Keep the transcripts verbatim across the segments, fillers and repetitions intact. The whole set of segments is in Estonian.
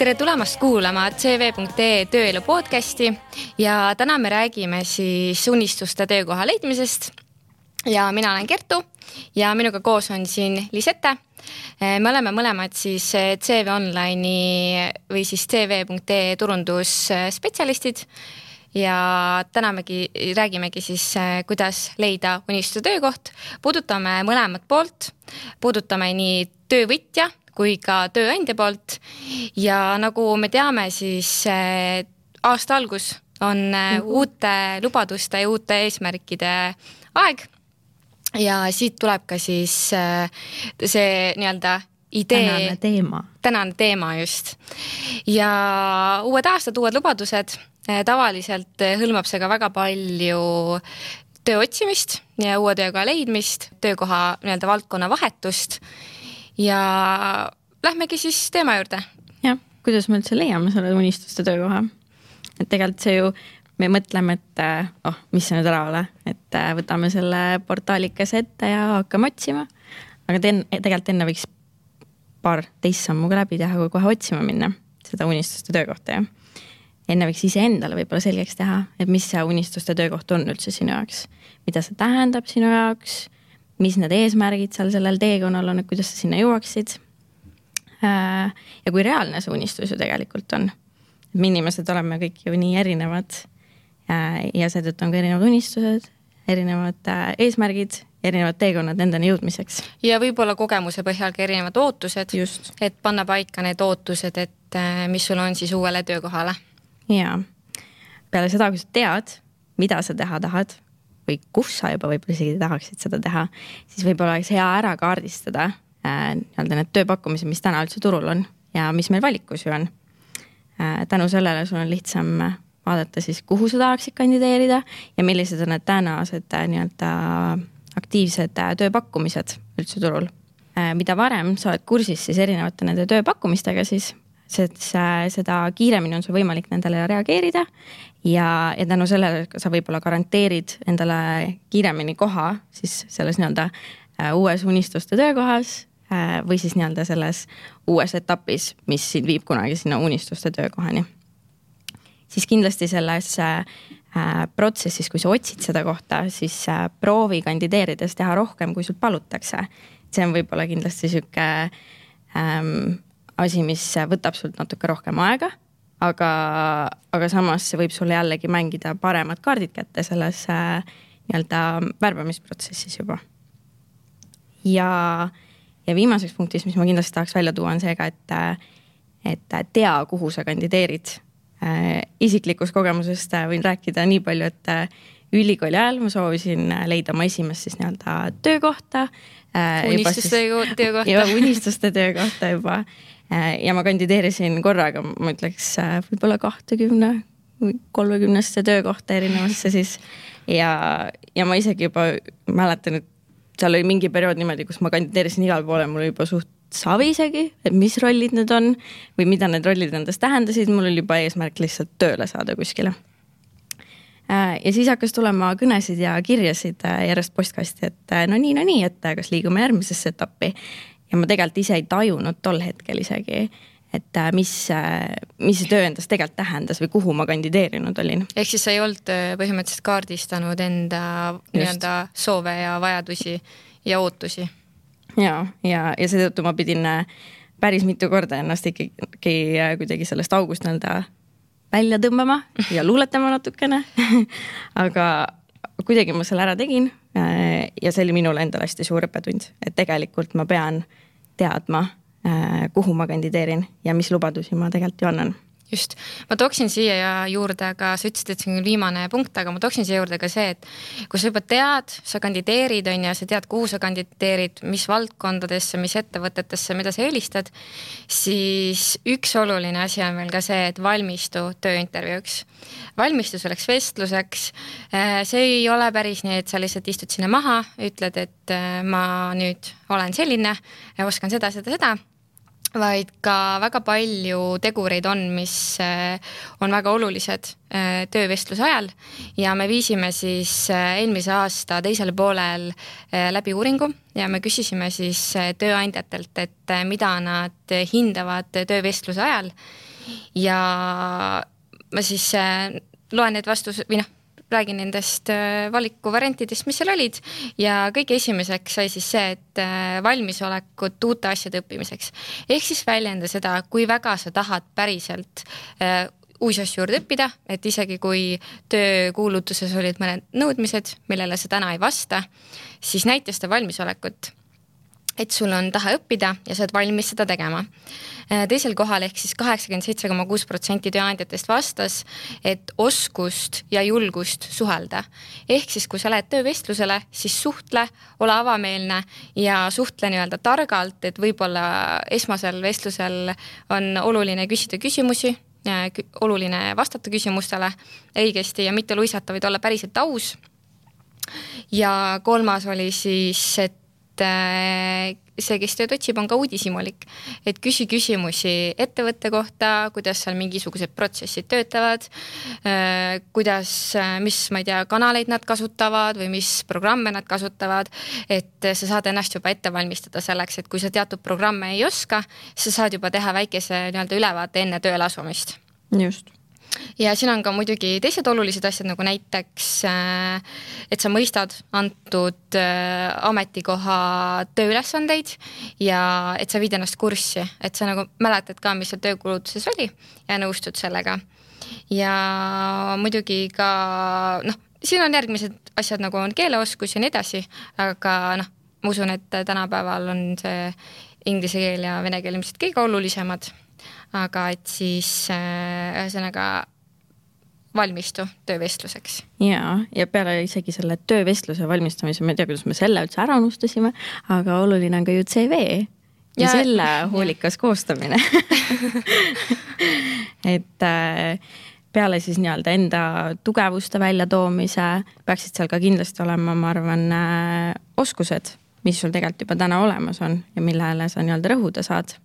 Tere tulemast kuulama C V punkt E tööelu podcasti ja täna me räägime siis unistuste töökoha leidmisest ja mina olen Kertu ja minuga koos on siin Lisette. Me oleme mõlemad siis C V Online'i või siis C V punkt E turundusspetsialistid ja täna megi, räägimegi siis, kuidas leida unistuste töökoht. Puudutame mõlemat poolt, puudutame nii töövõtja kui ka tööandja poolt ja nagu me teame, siis aasta algus on mm-hmm. uute lubaduste ja uute eesmärkide aeg ja siit tuleb ka siis see nii-öelda idee. Tänane teema. Tänane teema just. Ja uued aastad, uued lubadused, tavaliselt hõlmab see ka väga palju töö otsimist ja uue tööga leidmist, töökoha nii-öelda valdkonna vahetust. Ja lähmegi siis teema juurde. Jah, kuidas me üldse leiame selle unistuste töökoha? Et tegelikult see ju, me mõtleme, et oh, mis see nüüd ära ole, et võtame selle portaalikas ette ja hakkame otsima. Aga ten, tegelikult enne võiks paar teist sammuga läbi teha, kui kohe otsima minna seda unistuste töökohta. Ja. Enne võiks ise endale võib-olla selgeks teha, et mis see unistuste töökoht on üldse sinu jaoks. Mida see tähendab sinu jaoks? Mis need eesmärgid seal sellel teekonnal on, et kuidas sa sinna jõuaksid. Ja kui reaalne see unistus ju tegelikult on. Me inimesed oleme kõik ju nii erinevad ja seetõttu on ka erinevad unistused, erinevad eesmärgid, erinevad teekonnad endani jõudmiseks. Ja võib-olla kogemuse põhjal ka erinevad ootused, Just. et panna paika need ootused, et mis sul on siis uuele töökohale. Ja peale seda, kui sa tead, mida sa teha tahad, või kus sa juba võib-olla isegi tahaksid seda teha, siis võib-olla oleks hea ära kaardistada äh, need tööpakkumised, mis täna üldse turul on ja mis meil valikus ju on. Äh, tänu sellele sul on lihtsam vaadata siis, kuhu sa tahaksid kandideerida ja millised on need tänased äh, nii-öelda aktiivsed äh, tööpakkumised üldse turul. Äh, mida varem sa oled kursis siis erinevate nende tööpakkumistega, siis seda kiiremini on sul võimalik nendele reageerida ja, ja tänu sellele sa võib-olla garanteerid endale kiiremini koha siis selles nii-öelda uues unistuste töökohas või siis nii-öelda selles uues etapis, mis sind viib kunagi sinna unistuste töökohani. Siis kindlasti selles protsessis, kui sa otsid seda kohta, siis proovi kandideerides teha rohkem, kui sul palutakse. See on võib-olla kindlasti selline ähm, asi, mis võtab sult natuke rohkem aega, aga, aga samas see võib sulle jällegi mängida paremad kaardid kätte selles äh, nii-öelda värbamisprotsessis juba. Ja, ja viimaseks punktis, mis ma kindlasti tahaks välja tuua, on seega, et, et tea, kuhu sa kandideerid. Äh, isiklikus kogemusest võin rääkida nii palju, et ülikooli ajal ma soovisin leida oma esimest siis nii-öelda töökohta. Äh, unistuste siis, töökohta. Ja unistuste töökohta juba. Ja ma kandideerisin korraga, ma ütleks, võib-olla kahtekümne või kolmekümnesse töökohta erinevasse siis. Ja, ja ma isegi juba mäletan, et seal oli mingi periood niimoodi, kus ma kandideerisin igal poole, mul oli juba suht savi isegi, et mis rollid need on või mida need rollid endast tähendasid, mul oli juba eesmärk lihtsalt tööle saada kuskile. Ja siis hakkas tulema kõnesid ja kirjasid järjest postkasti, et no nii, no nii, et kas liigume järgmisesse etappi. Ja ma tegelikult ise ei tajunud tol hetkel isegi, et mis, mis see töö endast tegelikult tähendas või kuhu ma kandideerinud olin. Ehk siis sa ei olnud põhimõtteliselt kaardistanud enda nii-öelda soove ja vajadusi ja ootusi. Ja, ja, ja seetõttu ma pidin päris mitu korda ennast ikkagi kuidagi sellest august nii-öelda välja tõmbama ja luuletama natukene. Aga kuidagi ma selle ära tegin ja see oli minule endale hästi suur õppetund, et tegelikult ma pean teadma, kuhu ma kandideerin ja mis lubadusi ma tegelikult ju annan. Just. Ma tooksin siia juurde ka, sa ütlesid, et see on viimane punkt, aga ma tooksin siia juurde ka see, et kui sa juba tead, sa kandideerid on ja sa tead, kuhu sa kandideerid, mis valdkondadesse, mis ettevõtetesse, mida sa eelistad, siis üks oluline asi on veel ka see, et valmistu tööintervjuuks. Valmistu selleks vestluseks. See ei ole päris nii, et sa lihtsalt istud sinna maha, ütled, et ma nüüd olen selline ja oskan seda, seda, seda. Vaid ka väga palju tegureid on, mis on väga olulised töövestluse ajal ja me viisime siis eelmise aasta teisel poolel läbi uuringu ja me küsisime siis tööandjatelt, et mida nad hindavad töövestluse ajal ja ma siis loen need vastus või noh, räägin nendest valikuvariantidest, mis seal olid ja kõige esimeseks sai siis see, et valmisolekut uute asjade õppimiseks. Ehk siis väljenda seda, kui väga sa tahad päriselt uusi asju juurde õppida, et isegi kui töökuulutuses olid mõned nõudmised, millele sa täna ei vasta, siis näita seda valmisolekut, et sul on taha õppida ja sa oled valmis seda tegema. Teisel kohal ehk siis kaheksakümmend seitse koma kuus protsenti tööandjatest vastas, et oskust ja julgust suhelda. Ehk siis, kui sa lähed töövestlusele, siis suhtle, ole avameelne ja suhtle nii-öelda targalt, et võib-olla esmasel vestlusel on oluline küsida küsimusi, oluline vastata küsimustele õigesti ja mitte luisata, vaid olla päriselt aus. Ja kolmas oli siis, et see, kes tööd otsib, on ka uudishimulik, et küsi küsimusi ettevõtte kohta, kuidas seal mingisugused protsessid töötavad, kuidas, mis, ma ei tea, kanaleid nad kasutavad või mis programme nad kasutavad, et sa saad ennast juba ette valmistada selleks, et kui sa teatud programme ei oska, sa saad juba teha väikese nii-öelda ülevaate enne tööle asumist. Just. Ja siin on ka muidugi teised olulised asjad, nagu näiteks, et sa mõistad antud ametikoha tööülesandeid ja et sa viid ennast kurssi, et sa nagu mäletad ka, mis seal töökulutuses oli ja nõustud sellega. Ja muidugi ka, noh, siin on järgmised asjad, nagu on keeleoskus ja nii edasi, aga noh, ma usun, et tänapäeval on see inglise keel ja vene keel ilmselt kõige olulisemad. Aga et siis ühesõnaga valmistu töövestluseks. Ja, ja peale isegi selle töövestluse valmistamise, ma ei tea, kuidas me selle üldse ära unustasime, aga oluline on ka ju C V ja, ja selle hoolikas ja. Koostamine. et peale siis nii-öelda enda tugevuste väljatoomise peaksid seal ka kindlasti olema, ma arvan, oskused, mis sul tegelikult juba täna olemas on ja millele sa nii-öelda rõhuda saad.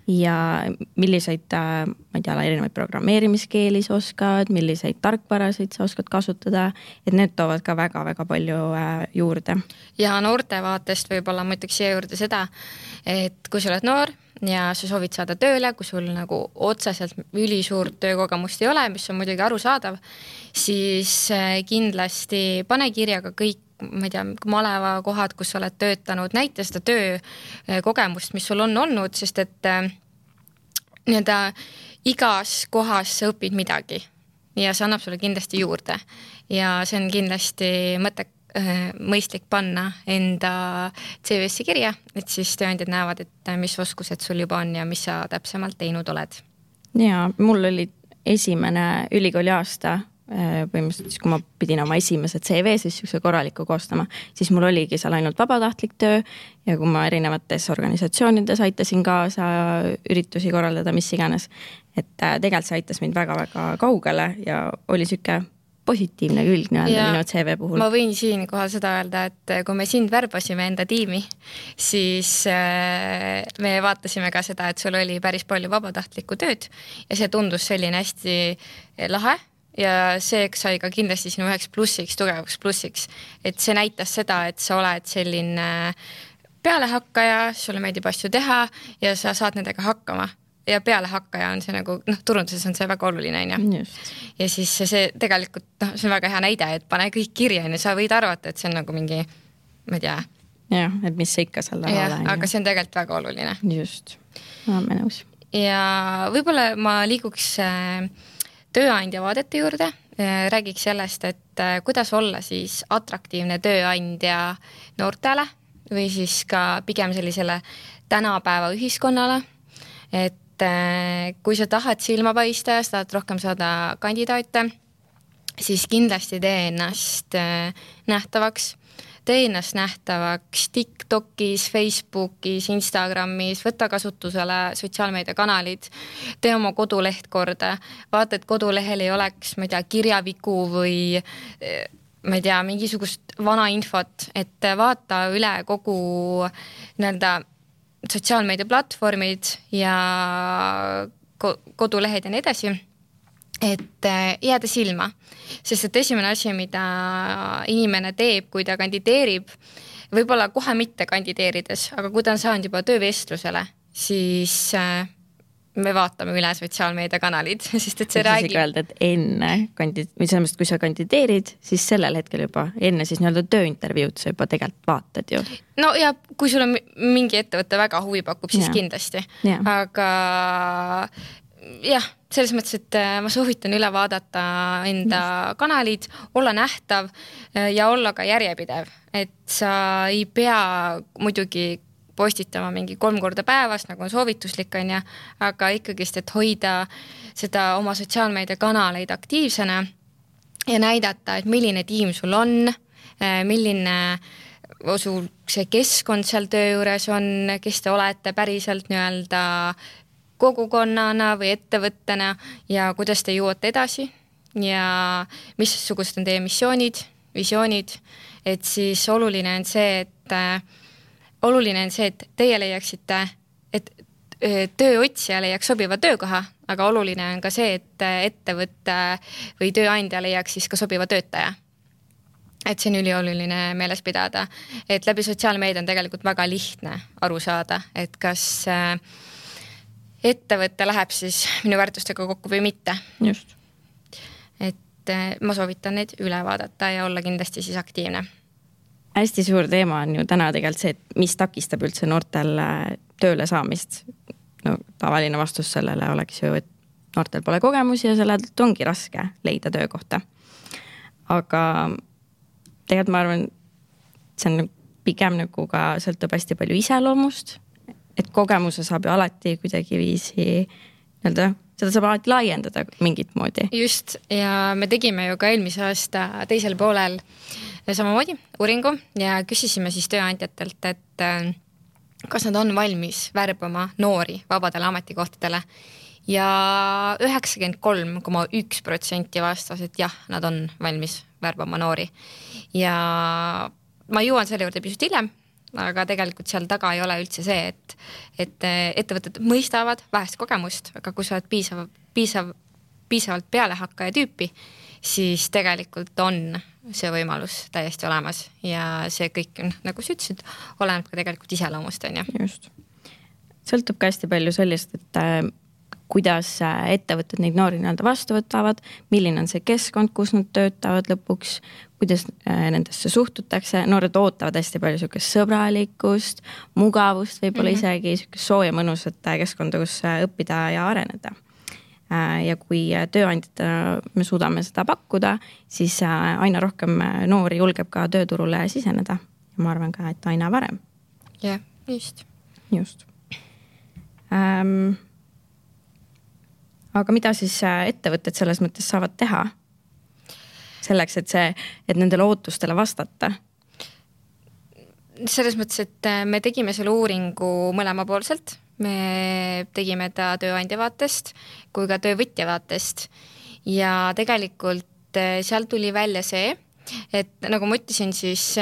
Ja milliseid, ma ei tea, erinevaid programmeerimiskeeli sa oskad, milliseid tarkvarasid sa oskad kasutada, et need toovad ka väga-väga palju juurde. Ja noorte vaatest võib-olla ma ütleks siia juurde seda, et kui sa oled noor ja sa soovid saada tööle, kui sul nagu otseselt ülisuurt töökogemust ei ole, mis on muidugi arusaadav, siis kindlasti pane kirjaga kõik, ma ei tea, maleva kohad, kus sa oled töötanud, näita seda töökogemust, mis sul on olnud, sest et nii-öelda igas kohas sa õpid midagi ja see annab sulle kindlasti juurde ja see on kindlasti mõte, mõistlik panna enda C V-sse kirja, et siis tööandjad näevad, et mis oskused sul juba on ja mis sa täpsemalt teinud oled. Ja mul oli esimene ülikooli aasta põhimõtteliselt siis, kui ma pidin oma esimese C V siis üks korraliku koostama, siis mul oligi seal ainult vabatahtlik töö ja kui ma erinevates organisatsioonides aitasin kaasa üritusi korraldada, mis iganes, et tegelikult see aitas mind väga-väga kaugele ja oli süke positiivne külg nii-öelda minu C V puhul. Ma võin siin kohal seda öelda, et kui me sind värbasime enda tiimi, siis me vaatasime ka seda, et sul oli päris palju vabatahtlikku tööd ja see tundus selline hästi lahe ja see sai ka kindlasti sinu üheks plussiks, tugevaks plussiks, et see näitas seda, et sa oled selline pealehakkaja, sulle meeldib asju teha ja sa saad nendega hakkama ja pealehakkaja on see nagu, noh, turunduses on see väga oluline, on ju. Ja siis see tegelikult, noh, see on väga hea näide, et pane kõik kirja ja sa võid arvata, et see on nagu mingi, ma ei tea. Jah, et mis see ikka seal taha ole. Aga see on tegelikult väga oluline. Just, ma olen nõus. Ja võib-olla ma liiguks tööandja vaadete juurde, räägiks sellest, et kuidas olla siis atraktiivne tööandja noortele või siis ka pigem sellisele tänapäeva ühiskonnale, et kui sa tahad silma paista ja sa tahad rohkem saada kandidaate, siis kindlasti tee ennast nähtavaks. Tee ennast nähtavaks TikTokis, Facebookis, Instagramis, võtta kasutusele sotsiaalmeediakanalid, tee oma koduleht korda, vaata, et kodulehel ei oleks, ma ei tea, kirjaviku või ma ei tea, mingisugust vana infot, et vaata üle kogu nii-öelda sotsiaalmeediaplatvormid ja kodulehed ja nii edasi, et jääda silma. Sest et esimene asi, mida inimene teeb, kui ta kandideerib, võib-olla kohe mitte kandideerides, aga kui ta on saanud juba töövestlusele, siis me vaatame üle sotsiaalmeediakanalid, sest et see Võiks räägib. öelda, et enne, kandid, või selles mõttes, kui sa kandideerid, siis sellel hetkel juba, enne siis nii-öelda tööintervjuud sa juba tegelikult vaatad ju. No ja kui sul on mingi ettevõte väga huvi pakub, siis Ja. kindlasti. Ja. Aga jah, selles mõttes, et ma soovitan üle vaadata enda Just. kanalid, olla nähtav ja olla ka järjepidev, et sa ei pea muidugi postitama mingi kolm korda päevas, nagu on soovituslik on ja, aga ikkagist, et hoida seda oma sotsiaalmeedia kanaleid aktiivsena ja näidata, et milline tiim sul on, milline sul see keskkond seal töö juures on, kes te olete päriselt nii-öelda kogukonnana või ettevõttena ja kuidas te jõuate edasi ja missugused on teie missioonid, visioonid, et siis oluline on see, et oluline on see, et teie leiaksite, et tööotsija leiaks sobiva töökoha, aga oluline on ka see, et ettevõtte või tööandja leiaks siis ka sobiva töötaja. Et see on ülioluline meeles pidada, et läbi sotsiaalmeedia on tegelikult väga lihtne aru saada, et kas ettevõte läheb siis minu väärtustega kokku või mitte. Just. Et ma soovitan neid üle vaadata ja olla kindlasti siis aktiivne. Hästi suur teema on ju täna tegelikult see, et mis takistab üldse noortel tööle saamist. No, tavaline vastus sellele oleks ju, et noortel pole kogemusi ja sellelt ongi raske leida töökohta. Aga tegelikult ma arvan, see on pigem nagu ka sõltub hästi palju iseloomust, et kogemuse saab ju alati kuidagi viisi nii-öelda, seda saab alati laiendada mingit moodi. Just, ja me tegime ju ka eelmise aasta teisel poolel samamoodi uuringu ja küsisime siis tööandjatelt, et kas nad on valmis värbama noori vabadele ametikohtadele ja üheksakümmend kolm koma üks protsenti vastas, et jah, nad on valmis värbama noori ja ma jõuan selle juurde pisut hiljem, aga tegelikult seal taga ei ole üldse see, et, et ettevõtted mõistavad vähest kogemust, aga kui sa oled piisav, piisav, piisavalt pealehakkaja tüüpi, siis tegelikult on see võimalus täiesti olemas ja see kõik on, nagu sa ütlesid, oleneb ka tegelikult iseloomust, on ju. Just. Sõltub ka hästi palju sellest, et äh, kuidas ettevõtted neid noori nii-öelda vastu võtavad, milline on see keskkond, kus nad töötavad lõpuks, kuidas äh, nendesse suhtutakse. Noored ootavad hästi palju sükest sõbralikkust, mugavust, võib-olla mm -hmm. isegi sükest sooja mõnusat keskkonda, kus õppida ja areneda. Ja kui tööandjatena me suudame seda pakkuda, siis aina rohkem noori julgeb ka tööturule siseneda. Ja ma arvan ka, et aina varem. Jah, just. Just. Ähm, aga mida siis ettevõtted selles mõttes saavad teha? Selleks, et, see, et nendele ootustele vastata? Selles mõttes, et me tegime selle uuringu mõlemapoolselt. Me tegime ta tööandja vaatest kui ka töövõtja vaatest ja tegelikult seal tuli välja see, et nagu ma ütlesin, siis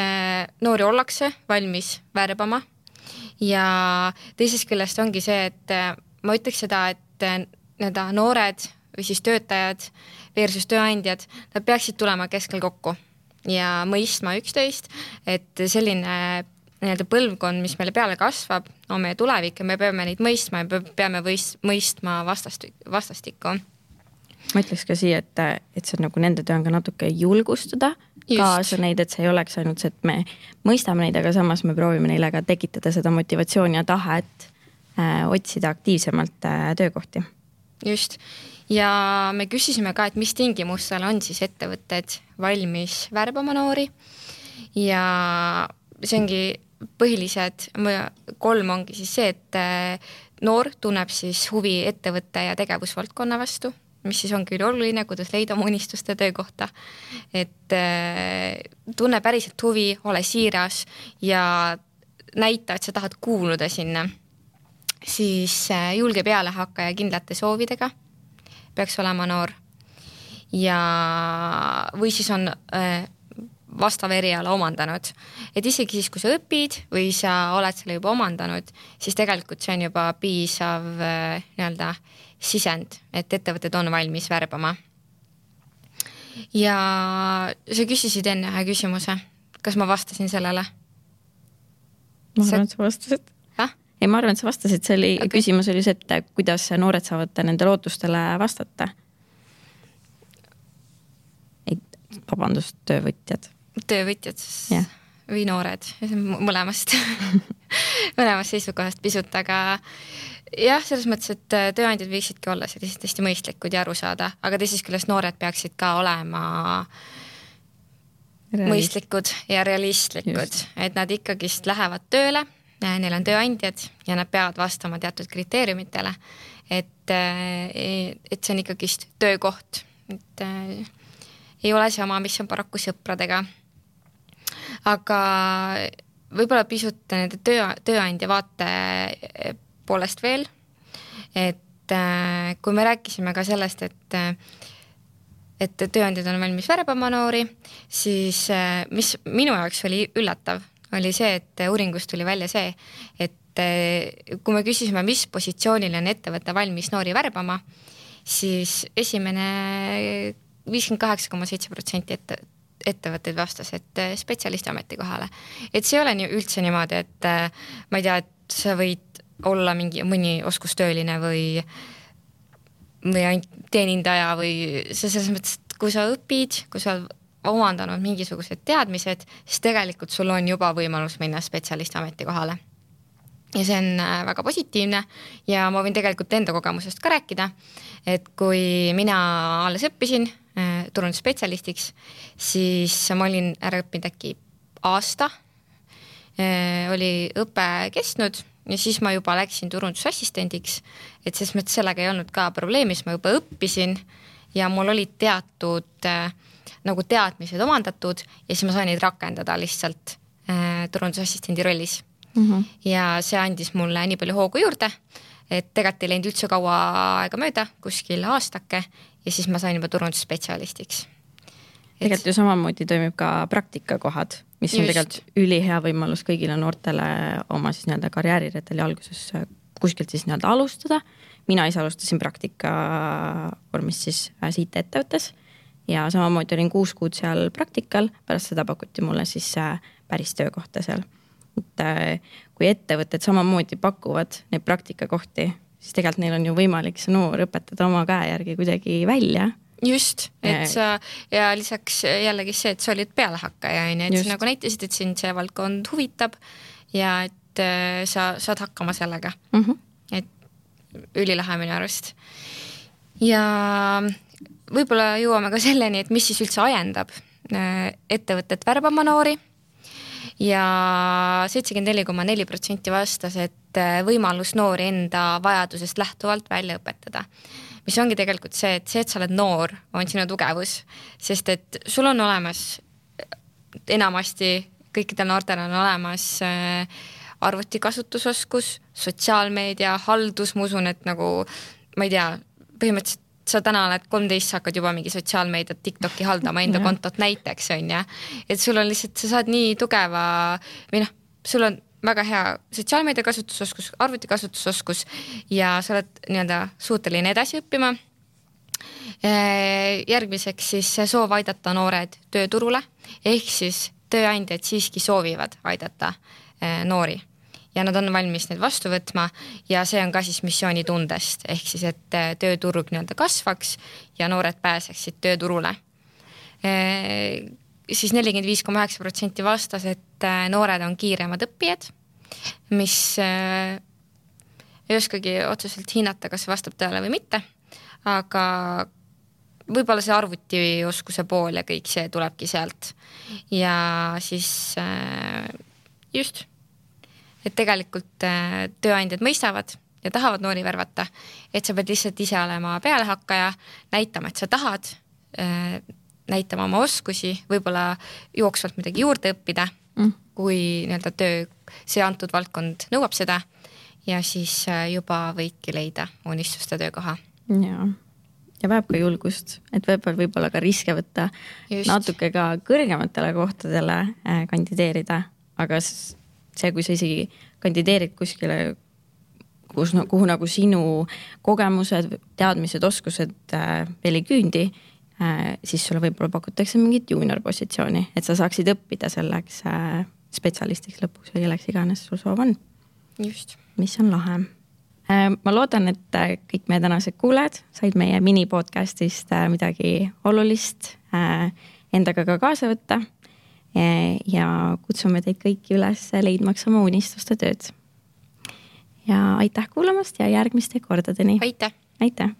noori ollakse valmis värbama ja teisest küljest ongi see, et ma ütleks seda, et need noored või siis töötajad versus tööandjad, nad peaksid tulema keskel kokku ja mõistma üksteist, et selline nii-öelda põlvkond, mis meile peale kasvab, on meie tulevik ja me peame neid mõistma ja peame võist, mõistma vastastikku. Ma ütleks ka siia, et, et see on nagu nende töö on ka natuke julgustada Just. kaasa neid, et see ei oleks ainult see, et me mõistame neid, aga samas me proovime neile ka tekitada seda motivatsiooni ja tahet äh, otsida aktiivsemalt äh, töökohti. Just. Ja me küsisime ka, et mis tingimustel on siis ettevõtted valmis värbama noori ja see ongi põhilised kolm ongi siis see, et noor tunneb siis huvi ettevõtte ja tegevusvaldkonna vastu, mis siis ongi oluline, kuidas leida oma unistuste töökohta. Et tunne päriselt huvi, ole siiras ja näita, et sa tahad kuuluda sinna. Siis julge peale hakka ja kindlate soovidega peaks olema noor. Ja või siis on vastav eriala omandanud. Et isegi siis, kui sa õpid või sa oled selle juba omandanud, siis tegelikult see on juba piisav nii-öelda sisend, et ettevõtted on valmis värbama. Ja sa küsisid enne ühe küsimuse. Kas ma vastasin sellele? Ma arvan, et sa vastasid. Ah? ei, ma arvan, et sa vastasid, see oli, okay. Küsimus oli see, et kuidas noored saavad nende lootustele vastata. Ei, vabandust, töövõtjad. Töövõtjad yeah. või noored, mõlemast mõlemast seisukohast pisut, aga jah, selles mõttes, et tööandjad võiksidki olla sellised hästi mõistlikud ja aru saada, aga teisest küljest noored peaksid ka olema Realist. mõistlikud ja realistlikud, Just. et nad ikkagist lähevad tööle, neil on tööandjad ja nad peavad vastama teatud kriteeriumitele, et, et see on ikkagist töökoht, et ei ole sama, mis on paraku sõpradega. Aga võib-olla pisut nende töö, tööandja vaate poolest veel, et kui me rääkisime ka sellest, et et tööandjad on valmis värbama noori, siis mis minu jaoks oli üllatav, oli see, et uuringust tuli välja see, et kui me küsisime, mis positsioonil on ettevõte valmis noori värbama, siis esimene viiskümmend kaheksa koma seitse protsenti ette, ettevõtteid vastas, et spetsialisti ametikohale. Et see ei ole nii, üldse niimoodi, et ma ei tea, et sa võid olla mingi mõni oskustööline või või ainult teenindaja või see selles mõttes, et kui sa õpid, kui sa omandanud mingisugused teadmised, siis tegelikult sul on juba võimalus minna spetsialisti ametikohale. Ja see on väga positiivne ja ma võin tegelikult enda kogemusest ka rääkida, et kui mina alles õppisin turundusspetsialistiks, siis ma olin ära õppinud äkki aasta, oli õpe kestnud ja siis ma juba läksin turundusassistendiks, et selles mõttes sellega ei olnud ka probleemis, ma juba õppisin ja mul olid teatud äh, nagu teadmised omandatud ja siis ma sain neid rakendada lihtsalt äh, turundusassistendi rollis. Mm-hmm. Ja see andis mulle nii palju hoogu juurde, et tegelikult ei läinud üldse kaua aega mööda, kuskil aastake ja siis ma sain juba turundusspetsialistiks. Tegelikult ju samamoodi toimib ka praktikakohad, mis on Just. tegelikult ülihea võimalus kõigile noortele oma siis nii-öelda karjäärireteli alguses kuskilt siis nii-öelda alustada. Mina ise alustasin praktika vormis siis siit ettevõttes ja samamoodi olin kuus kuud seal praktikal, pärast seda pakuti mulle siis päris töökohta seal. Et kui ettevõtted samamoodi pakuvad neid praktikakohti, siis tegelikult neil on ju võimalik see noor õpetada oma käe järgi kuidagi välja. Just, et sa ja lisaks jällegi see, et sa olid pealehakkaja, et sa nagu näitasid, et sind see valdkond huvitab ja et sa saad hakkama sellega. Mm-hmm. Et ülilahe minu arust. Ja võib-olla jõuame ka selleni, et mis siis üldse ajendab ettevõtet värbama noori ja seitsekümmend neli koma neli protsenti vastas, et võimalus noori enda vajadusest lähtuvalt välja õpetada. Mis ongi tegelikult see, et see, et sa oled noor, on sinu tugevus, sest et sul on olemas enamasti, kõikidel noortel on olemas arvutikasutusoskus, sotsiaalmeedia, haldus, ma usun, et nagu, ma ei tea, põhimõtteliselt sa täna oled kolmteist, sa hakkad juba mingi sotsiaalmeediat, TikToki haldama enda kontot näiteks, on ja, et sul on lihtsalt, sa saad nii tugeva, või noh, sul on väga hea sotsiaalmeedia kasutusoskus, arvutikasutusoskus ja sa oled nii-öelda suuteline edasi õppima. Järgmiseks siis soov aidata noored tööturule, ehk siis tööandjad siiski soovivad aidata noori ja nad on valmis need vastu võtma ja see on ka siis missioonitundest, ehk siis, et tööturg nii-öelda kasvaks ja noored pääseksid tööturule. Siis nelikümmend viis koma üheksa protsenti vastas, et noored on kiiremad õppijad, mis ei oskagi otseselt hinnata, kas vastab tõele või mitte, aga võib-olla see arvutioskuse pool ja kõik see tulebki sealt. Ja siis just, et tegelikult tööandjad mõistavad ja tahavad noori värvata, et sa pead lihtsalt ise olema pealehakkaja, näitama, et sa tahad, näitama oma oskusi, võib-olla jooksvalt midagi juurde õppida, mm. kui nii-öelda töö, see antud valdkond nõuab seda ja siis juba võidki leida unistuste töökoha. Jaa. Ja vajab ka julgust, et võib-olla, võib-olla ka riske võtta Just. natuke ka kõrgematele kohtadele kandideerida, aga see, kui sa isegi kandideerid kuskile, kus, kuhu nagu sinu kogemused, teadmised, oskused veel ei küündi, siis sulle võib-olla pakutakse mingit junior positsiooni, et sa saaksid õppida selleks spetsialistiks lõpuks või kelleks iganes sul soov on. just. Mis on lahe. Ma loodan, et kõik meie tänased kuulajad said meie mini-podcastist midagi olulist endaga ka kaasa võtta ja kutsume teid kõiki üles leidmaks oma unistuste tööd. Ja aitäh kuulamast ja järgmiste kordadeni. Aitäh! Aitäh!